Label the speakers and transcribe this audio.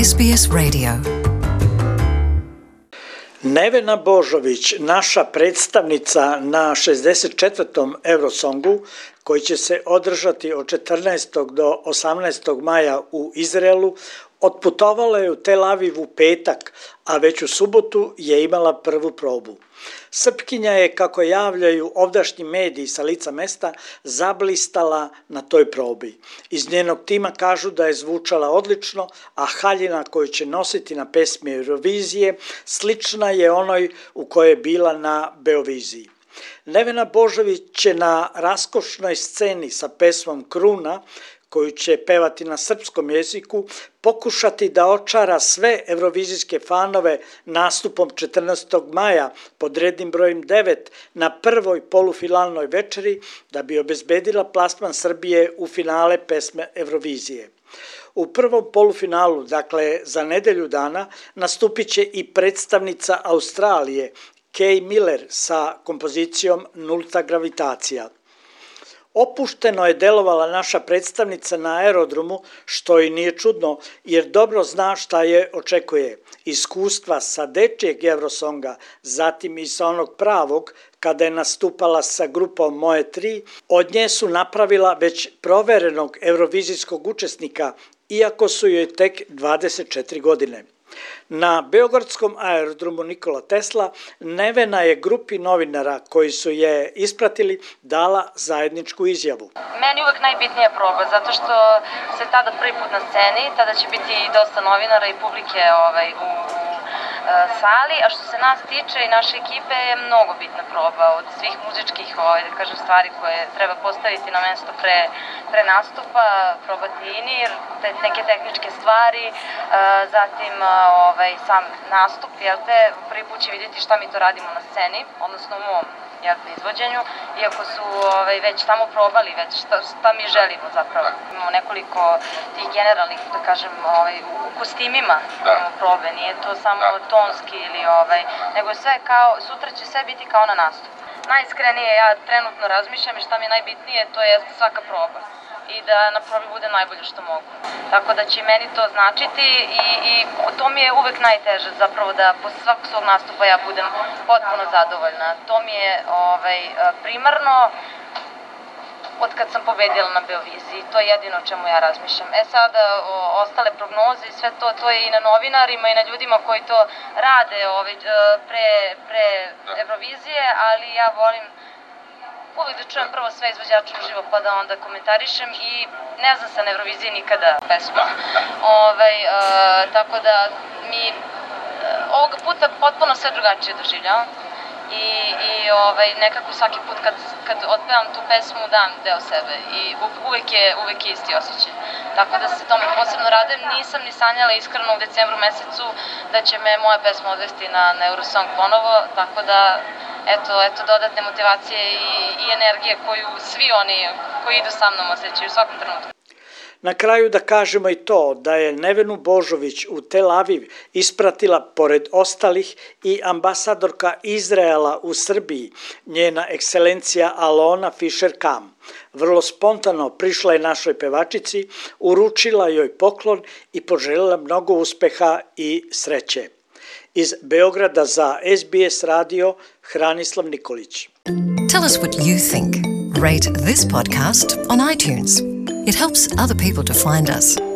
Speaker 1: SBS Radio.
Speaker 2: Nevena Božović, naša predstavnica na 64. Eurosongu, koji će se održati od 14. do 18. maja u Izraelu, otputovala je u Tel Aviv u petak, a već u subotu je imala prvu probu. Srpkinja je, kako javljaju ovdašnji mediji sa lica mesta, zablistala na toj probi. Iz njenog tima kažu da je zvučala odlično, a haljina koju će nositi na pesmi Eurovizije slična je onoj u kojoj je bila na Beoviziji. Nevena Božović će na raskošnoj sceni sa pesmom Kruna, koju će pevati na srpskom jeziku, pokušati da očara sve evrovizijske fanove nastupom 14. maja pod rednim brojem 9 na prvoj polufinalnoj večeri da bi obezbedila plasman Srbije u finale pesme Eurovizije. U prvom polufinalu, dakle za nedelju dana, nastupit će i predstavnica Australije, Kay Miller, sa kompozicijom Nulta gravitacija. Opušteno je delovala naša predstavnica na aerodromu, što i nije čudno, jer dobro zna šta je očekuje. Iskustva sa dečijeg Eurosonga, zatim i sa onog pravog, kada je nastupala sa grupom Moje 3, od nje su napravila već proverenog eurovizijskog učesnika, iako su joj tek 24 godine. Na beogradskom aerodromu Nikola Tesla Nevena je grupi novinara koji su je ispratili dala zajedničku izjavu.
Speaker 3: Meni uvek najbitnija proba, zato što se tada prvi put na sceni, tada će biti dosta novinara i publike u sali, a što se nas tiče i naše ekipe je mnogo bitna proba od svih muzičkih stvari koje treba postaviti na mesto pre nastupa, probati inir, neke tehničke stvari, zatim sam nastup, prvi put će vidjeti šta mi to radimo na sceni, odnosno u mom izvođenju, iako su već tamo probali šta mi želimo zapravo. Imamo nekoliko tih generalnih, da kažem, u kostimima probe, nije to samo tonski ili nego sve kao, sutra će sve biti kao na nastup. Najiskrenije ja trenutno razmišljam i šta mi je najbitnije, to je svaka proba i da na probi bude najbolje što mogu. Tako da će meni to značiti i to mi je uvek najteže zapravo da posle svakog svog nastupa ja budem potpuno zadovoljna. To mi je primarno od kad sam pobedila na Beoviziji, to je jedino o čemu ja razmišljam. Sada ostale prognoze i sve to je i na novinarima i na ljudima koji to rade pre Eurovizije, ali ja volim uvijek da čujem prvo sve izvođače uživo pa da onda komentarišem i ne znam se na Euroviziji nikada pesmu. Tako da mi ovoga puta potpuno sve drugačije doživljavam i nekako svaki put kad otpevam tu pesmu dam deo sebe i uvek je isti osjećaj. Tako da se tome posebno radujem, nisam ni sanjala iskreno u decembru mesecu da će me moja pesma odvesti na Eurosong ponovo, tako da eto dodatne motivacije i energije koju svi oni koji idu sa mnom osjećaju u svakom trenutku.
Speaker 2: Na kraju da kažemo i to da je Nevenu Božović u Tel Aviv ispratila pored ostalih i ambasadorka Izraela u Srbiji, njena ekscelencija Alona Fischer-Kam. Vrlo spontano prišla je našoj pevačici, uručila joj poklon i poželjela mnogo uspeha i sreće. Iz Beograda za SBS radio, Hranislav Nikolić.
Speaker 1: Tell us what you think. Rate this podcast on iTunes. It helps other people to find us.